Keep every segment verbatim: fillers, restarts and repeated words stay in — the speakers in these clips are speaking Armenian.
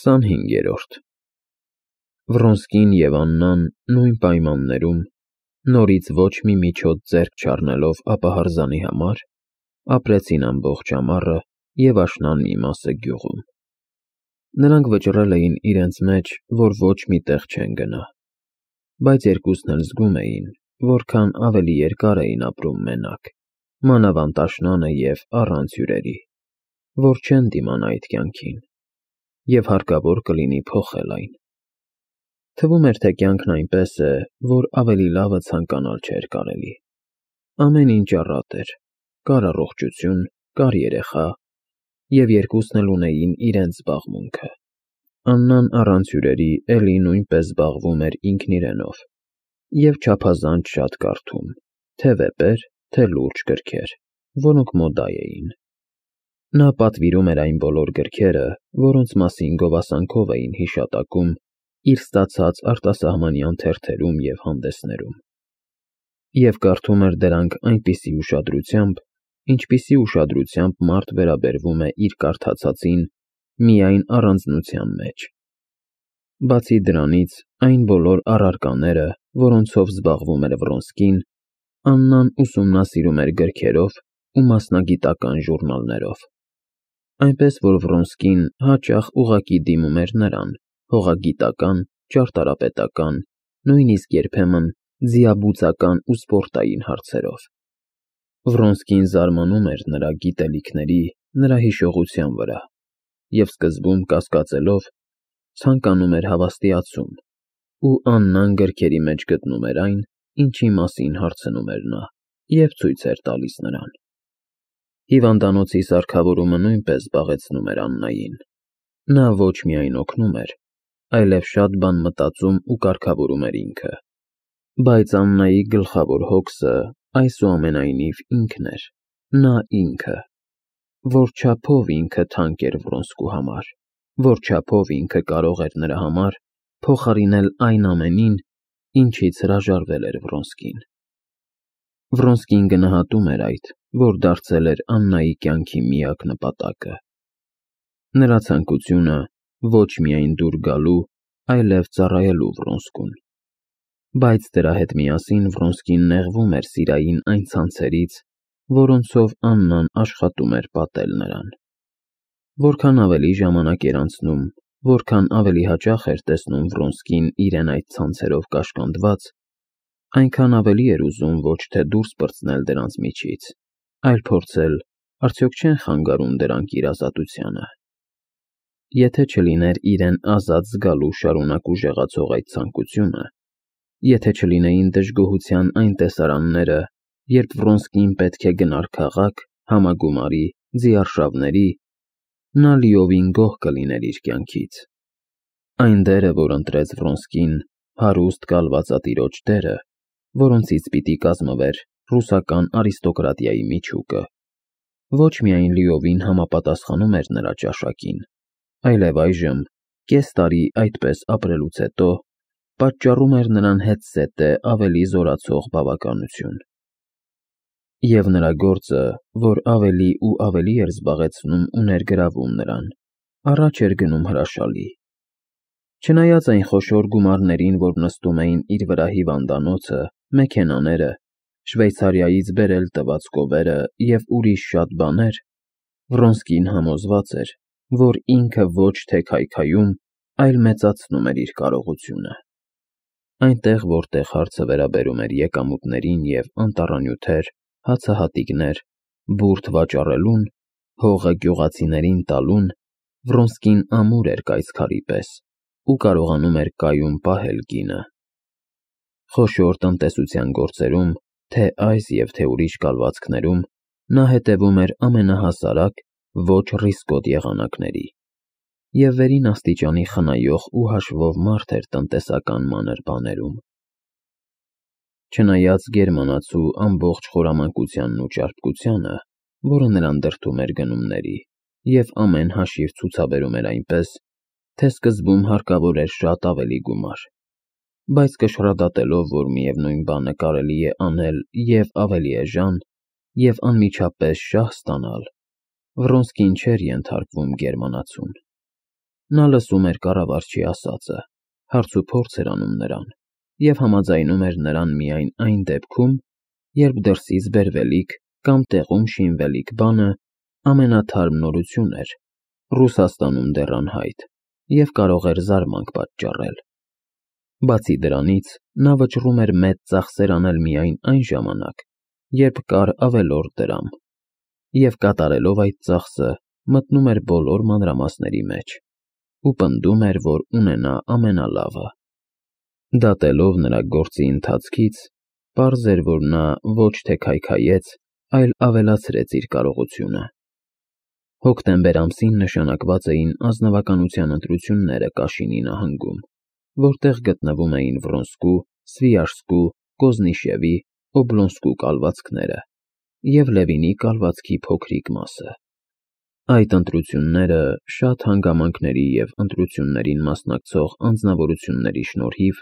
քսանհինգերորդ Վռոնսկին և Աննան նույն պայմաններում, նորից ոչ մի միջոց ձեռք չառնելով ապահարզանի համար, ապրեցին ամբողջ ամառը և աշնան մի մասը գյուղում. նրանք վճռել էին իրենց մեջ, որ ոչ մի տեղ չեն գնա, բայց երկուսն էլ զգում էին, որքան ավելի երկար էին ապրում մենակ, մանավանդ աշնանը և առանց հյուրերի, որ չեն դիմանա այդ կյանքին, և հարկավոր կլինի փոխել այն. թվում էր, թե կյանքն այնպես է, որ ավելի լավը ցանկանալ չէր կարելի. ամեն ինչ առատ էր, կար առողջություն, կար երեխա, և երկուսն էլ ունեին իրենց զբաղմունքը. Աննան առանց հյուրերի էլի նույնպես զբաղվում էր ինքն իրենով և չափազանց շատ կարդում, թե վեպեր, թե լուրջ գրքեր, որոնք մոդա էին. նա պատվիրում էր այն բոլոր գրքերը, որոնց մասին գովասանքով էին հիշատակում իր ստացած արտասահմանյան թերթերում և հանդեսներում, և կարդում էր դրանք այնպիսի ուշադրությամբ, ինչպիսի ուշադրությամբ մարդ վերաբերվում է իր կարդացածին միայն առանձնության մեջ. բացի դրանից, այն բոլոր առարկաները, որոնցով զբաղվում էր Վռոնսկին, Աննան ուսումնասիրում էր գրքերով ու մասնագիտական ժուրնալներով, այնպես որ Վռոնսկին հաճախ ուղղակի դիմում էր նրան հողագիտական, ճարտարապետական, նույնիսկ երբեմն ձիաբուծական ու սպորտային հարցերով. Վռոնսկին զարմանում էր նրա գիտելիքների, նրա հիշողության վրա և սկզբում կասկածելով, ցանկանում էր հավաստիացում, ու Աննան գրքերի մեջ գտնում էր այն, ինչի մասին հարցնում էր նա, և ցույց էր տալիս նրան. հիվանդանոցի սարքավորումը նույնպես զբաղեցնում էր Աննային. նա ոչ միայն օգնում էր, այլև շատ բան մտածում ու կարգավորում էր ինքը, բայց Աննայի գլխավոր հոգսը այսուամենայնիվ ինքն էր, նա ինքը, որ չափով ինքը թանկ էր Վռոնսկու համար, որ չափով ինքը կարող էր նրա համար փոխարինել այն ամենին, ինչից հրաժարվել էր Վռոնսկին: Վռոնսկին գնահատում էր այդ, որ դարձել էր Աննայի կյանքի միակ նպատակը: Նրա ցանկությունը ոչ միայն դուր գալու, այլև ծառայելու Վռոնսկուն: Բայց դրա հետ միասին Վռոնսկին նեղվում էր սիրային այն ցանցերից, որոնցով Աննան աշխատում էր պատել նրան: Որքան ավելի ժամանակ էր անցնում, որքան ավելի հաճախ էր տեսնում Վռոնսկին իրեն այդ ցանցերով կաշկանդված, այնքան ավելի էր ուզում ոչ թե դուրս պրծնել դրանց միջից, այլ փորձել, արդյոք չեն խանգարում դրանք իր ազատությանը: Եթե չլիներ իրեն ազատ զգալու շարունակ ուժեղացող այդ ցանկությունը, եթե չլինեին դժգոհության այն տեսարանները, երբ Վռոնսկին պետք է գնար քաղաք, համագումարի, ձիարշավների, նա լիովին գոհ կլիներ իր կյանքից: Այն դերը, որ ընտրեց Վռոնսկին, հարուստ կալվածատիրոջ դերը, որոնցից պիտի կազմվեր ռուսական արիստոկրատիայի միջուկը, ոչ միայն լիովին համապատասխանում էր նրա ճաշակին, այլև այժմ, կես տարի այդպես ապրելուց հետո, պատճառում էր նրան հետզհետե ավելի զորացող բավականություն: Եվ նրա գործը, որ ավելի ու ավելի էր զբաղեցնում ու ներգրավում նրան, առաջ էր գնում հրաշալի: Չնայած այն խոշոր գումարներին, որ նստում էին իր վրա հիվանդանոցը, մեքենաները, Շվեյցարիայից բերել տված կովերը և ուրիշ շատ բաներ, Վռոնսկին համոզված էր, որ ինքը ոչ թե քայքայում, այլ մեծացնում էր իր կարողությունը: Այնտեղ, որտեղ հարցը վերաբերում էր եկամուտներին և անտառանյութեր, հացահատիկներ, բուրդ վաճառելուն, հողը գյուղացիներին տալուն, Վռոնսկին ամուր էր կայծքարի պես ու կարողանում էր կայուն պահել գինը: Խոշոր տնտեսության գործերում, թե այս և թե ուրիշ կալվածքներում, նա հետևում էր ամենահասարակ, ոչ ռիսկոտ եղանակների և վերին աստիճանի խնայող ու հաշվով մարդ էր տնտեսական մանր բաներում: Չնայած գերմանացու ամբողջ խորամանկությանն ու ճարպկությանը, որը նրան դրդում էր գնումների և ամեն հաշիվ ցուցաբերում էր այնպես, թե սկզբում հարկավոր էր շատ ավելի գումար, բայց կշռադատելով, որ միևնույն բանը կարելի է անել և ավելի էժան, և անմիջապես շահ ստանալ, Վռոնսկին չէր ենթարկվում գերմանացուն: Նա լսում էր կառավարչի ասածը, հարցուփորձ էր անում նրան և համաձայնում էր նրան միայն այն դեպքում, երբ դրսից բերվելիք կամ տեղում շինվելիք բանը ամենաթարմ նորություն էր, Ռուսաստանում դեռ անհայտ, և կարող էր զարմանք պատճառել։ Բացի դրանից, նա վճռում էր մեծ ծախսեր անել միայն այն ժամանակ, երբ կար ավելորդ դրամ, և կատարելով այդ ծախսը մտնում էր բոլոր մանրամասների մեջ ու պնդում էր, որ ունենա ամենալավը։ Դատելով նրա գործի ընթացքից, պարզ էր, որ նա ոչ թե քայքայեց, այլ ավելացրեց իր կարողությունը։ Հոկտեմբեր ամսին նշանակված էին ազնվականության ընտրությունները Կաշինի նահանգում, որտեղ գտնվում էին Վրոնսկու, Սվիաժսկու, Կոզնիշևի, Օբլոնսկու կալվածքները և Լևինի կալվածքի փոքրիկ մասը։ Այդ ընտրությունները շատ հանգամանքների և ընտրություններին մասնակցող անձնավորությունների շնորհիվ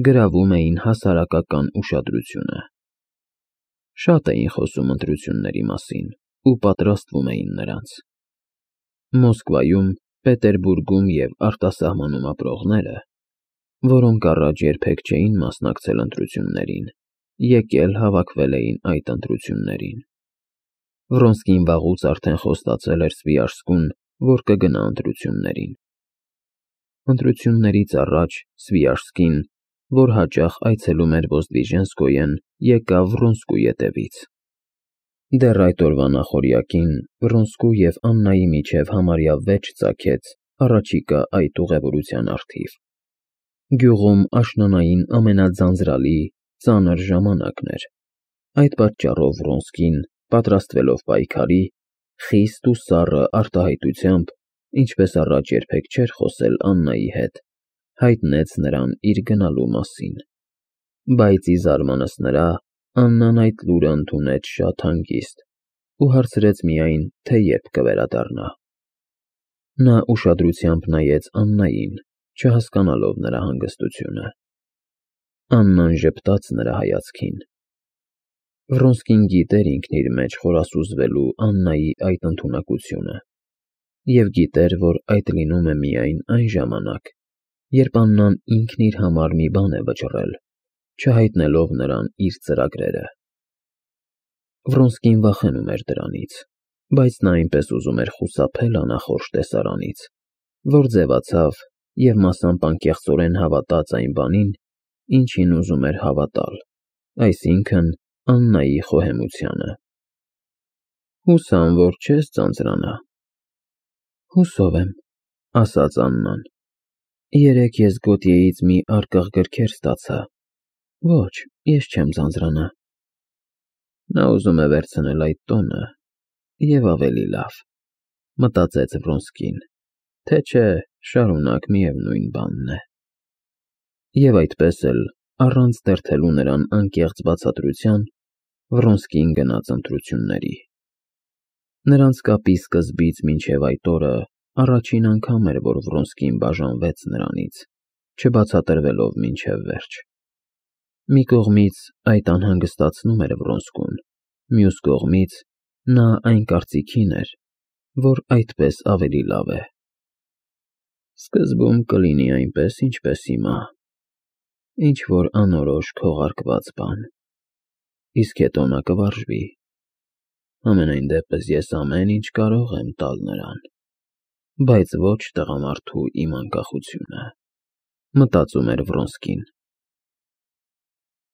գրավում էին հասարակական ուշադրությունը։ Շատ էին խոսում ընտրությունների մասին ու պատրաստվում էին նրանց։ Մոսկվայում, Պետերբուրգում և արտասահմանում ապրողները, որոնք առաջ երբեք չէին մասնակցել ընտրություններին, եկել հավաքվել էին այդ ընտրություններին։ Վրոնսկին վաղուց արդեն խոստացել էր Սվիաժսկուն, որ կգնա ընտրություններին։ Ընտրություններից առաջ Սվիաժսկին, որ հաճախ այցելում էր Ոզդվիժենսկոյեն, եկավ Վրոնսկու ետևից։ Դեռ այդ օրվա նախօրյակին Վրոնսկու և Աննայի միջև համարյա վեճ ծագեց առաջիկա այդ ուղևորության առթիվ։ Գյուղում աշնանային ամենաձանձրալի, ծանր ժամանակն էր։ Այդ պատճառով Վրոնսկին, պատրաստվելով պայքարի, խիստ ու սառը արտահայտությամբ, ինչպես առաջ երբեք չէր խոսել Աննայի հետ, հայտնեց նրան իր գնալու մասին։ Բայց ի զարմանս նրա, Աննան այդ լուրը ընդունեց շատ հանգիստ ու հարցրեց միայն, թե երբ կվերադառնա։ Նա ուշադրությամբ նայեց Աննային, չհասկանալով նրա հանգստությունը։ Աննան ժպտաց նրա հայացքին։ Վրոնսկին գիտեր ինքն իր մեջ խորասուզվելու Աննայի այդ ընդունակությունը և գիտեր, որ այդ լինում է միայն այն ժամանակ, երբ Աննան ինքն իր համար մի բան է վճռել, չհայտնելով նրան իր ծրագրերը։ Վրոնսկին վախենում էր դրանից, բայց նա այնպես ուզում էր խուսափել անախորժ տեսարանից, որ ձևացավ և մասամբ անկեղծորեն հավատաց այն բանին, ինչին ուզում էր հավատալ, այսինքն՝ Աննայի խոհեմությանը։ Հուսամ, որ չես ձանձրանա։ Հուսով եմ, ասաց Աննան։ Երեկ ես Գոտիեից միարկղ գրքեր ստացա։ Ոչ, ես չեմ ձանձրանա։ Նա ուզում է վերցնել այդ տոնը և ավելի լավ, մտածեց Վրոնսկին, թե չէ շարունակ միևնույն բանն է։ Եվ այդպես էլ, առանց դերթելու նրան անկեղծ բացատրության, Վրոնսկին գնաց ընտրությունների։ Նրանց կապի սկզբից մինչև այդ օրը առաջին անգամ էր, որ Վրոնսկին բաժանվեց նրանից, չբացատրվելով մինչև վերջ։ Մի կողմից այդ անհանգստացնում էր Վրոնսկուն, մյուս կողմից նա այն կարծիքին էր, որ այդպես ավելի լավ է։ Սկզբում կլինի այնպես, ինչպես հիմա, ինչ-որ անորոշ քողարկված բան, իսկ հետո նա կվարժվի։ Համենայն դեպս ես ամեն ինչ կարող եմ տալ նրան, բայց ոչ տղամարդու իմ անկախությունը, մտածում էր Վրոնսկին։